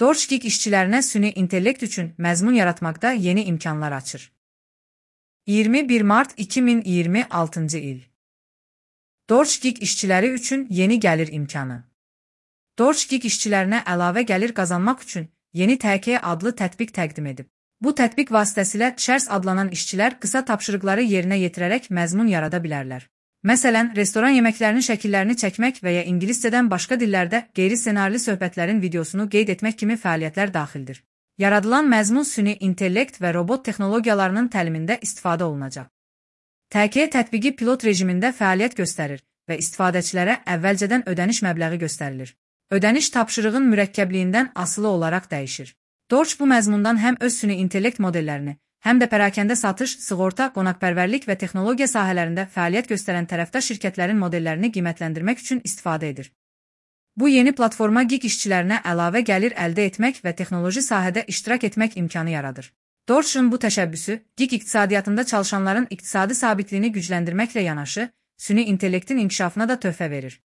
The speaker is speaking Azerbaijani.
DoorShip işçilərinə süni intellekt üçün məzmun yaratmaqda yeni imkanlar açır. 21 mart 2026 il. DoorShip işçiləri üçün yeni gəlir imkanı. DoorShip işçilərinə əlavə gəlir qazanmaq üçün yeni TK adlı tətbiq təqdim edib. Bu tətbiq vasitəsilə Shares adlanan işçilər qısa tapşırıqları yerinə yetirərək məzmun yarada bilərlər. Məsələn, restoran yeməklərinin şəkillərini çəkmək və ya ingiliscədən başqa dillərdə qeyri-ssenarili söhbətlərin videosunu qeyd etmək kimi fəaliyyətlər daxildir. Yaradılan məzmun süni intellekt və robot texnologiyalarının təlimində istifadə olunacaq. TK tətbiqi pilot rejimində fəaliyyət göstərir və istifadəçilərə əvvəlcədən ödəniş məbləği göstərilir. Ödəniş tapşırığın mürəkkəbliyindən asılı olaraq dəyişir. DoorShip bu məzmundan həm öz süni intellekt modellərini, həm də pərakəndə satış, sığorta, qonaqpərvərlik və texnologiya sahələrində fəaliyyət göstərən tərəfdaş şirkətlərin modellərini qiymətləndirmək üçün istifadə edir. Bu yeni platforma gig işçilərinə əlavə gəlir əldə etmək və texnoloji sahədə iştirak etmək imkanı yaradır. DoorShip'ın bu təşəbbüsü, gig iqtisadiyyatında çalışanların iqtisadi sabitliyini gücləndirməklə yanaşı, süni intellektin inkişafına da töhfə verir.